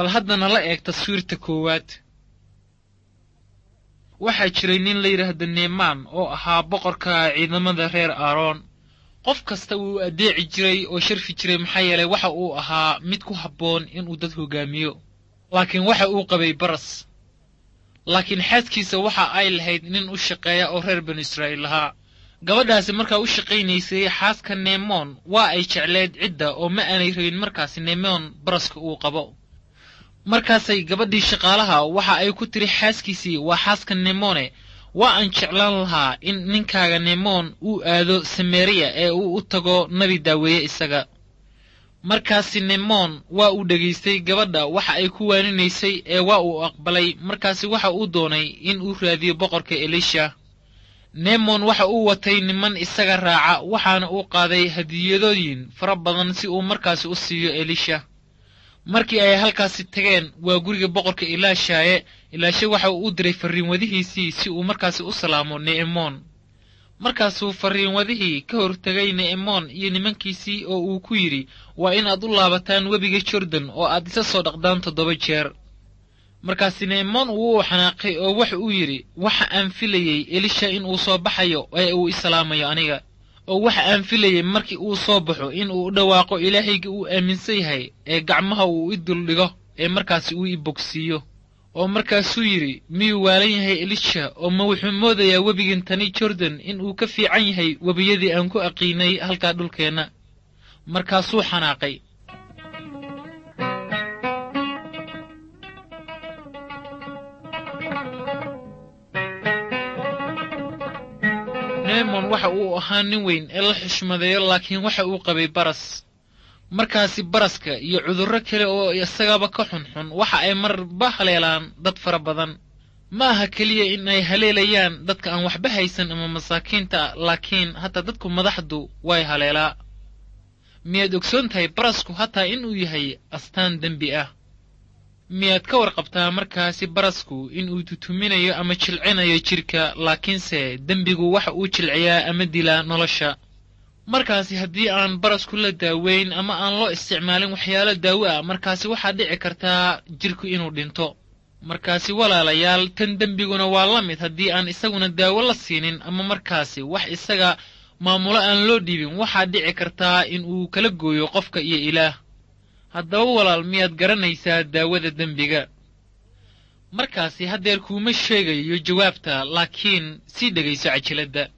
Bal haddana la eeg taswiirta koowaad. Waxaa jiray nin la yidhaahdo Neemaan oo ahaa boqorka ciidamada reer Aaroon. Qof kasta wuu addeeci jiray oo sharfi jiray, maxaa yeelay waxa uu ahaa mid ku habboon inuu dad hogaamiyo. Laakiin waxa uu qabay baras. Laakiin xaaskiisa waxa ay lahayd nin u shaqeeya oo reer banu Israa'iil lahaa. Gabadhaasi markaa u shaqaynaysay xaaska Neemoon waa ay jecleed cidda oo ma aanay rabin markaasi Neemoon baraska uu qabo. Markaasay gabadhii shaqaalaha waxa ay ku tiri xaaskiisii, waa xaaska Neemone, waa aan jeclaan lahaa in ninkaaga Neemoon uu aado Samariya ee uu u tago nabi daaweeye isaga. Markaasi Neemoon waa uu dhegaystay gabadha waxa ay ku waaninaysay ee waa uu aqbalay. Markaasi waxa uu doonay in uu raadiyo boqorka Elisha. Neemon waxa uu watay niman isaga raaca, waxaana uu qaaday hadiyadooyin fara badan si uu markaasi u siiyo Elisha. Markii ay halkaasi tageen waa guriga boqorka Ilaashaaye. Ilaashe waxa uu u diray farriinwadihiisii si uu markaasi u salaamo Ne'emoon. Markaasuu farriinwadihii ka hortegay Ne'emoon iyo nimankiisii oo uu ku yidhi, waa inaad u laabataan webiga Jordan oo aad isa soo dhaqdaan 7 jeer. Markaasi Ne'emoon wuu u xanaaqay oo waxa uu yidhi, waxa aan filayey Elisha in uu soo baxayo ee uu i salaamayo aniga, oo waxa aan filayey markii uu soo baxo in uu u dhawaaqo Ilaahayga uu aaminsan yahay ee gacmaha uu i duldhigo ee markaasi uu i bogsiiyo. Oo markaasuu yidhi, miyuu waalan yahay Elisha, oo ma wuxuu moodayaa webigan tani Jordan in uu ka fiican yahay webiyadii aan ku aqiinay halkaa dhulkeenna. Markaasuu xanaaqay. Neemon waxa uu ahaa nin weyn ee la xushmadeeyo, laakiin waxa uu qabay baras. Markaasi baraska iyo cudurro kale oo isagaba ka xunxun waxa ay marba haleelaan dad fara badan. Ma aha keliya in ay haleelayaan dadka aan waxba haysan ama masaakiinta, laakiin hataa dadku madaxdu way haleelaa. Miyaad ogsoon tahay barasku hataa inuu yahay astaan dembi ah? Miyaad ka warqabtaa markaasi barasku inuu tutuminayo ama jilcinayo jidhka, laakiinse dembigu waxa uu jilciyaa ama dilaa nolosha. Markaasi haddii aan barasku la daaweyn ama aan loo isticmaalin waxyaalo daawo ah, markaasi waxaa dhici kartaa jidhku inuu dhinto. Markaasi walaalayaal, tan dembiguna waa la mid. Haddii aan isaguna daawo la siinin ama markaasi wax isaga maamulo aan loo dhiibin, waxaa dhici kartaa in uu kala gooyo qofka iyo Ilaah. Haddaba walaal, miyaad garanaysaa daawada dembiga? Markaasi haddeer kuuma sheegayo jawaabta, laakiin sii dhegayso cajiladda.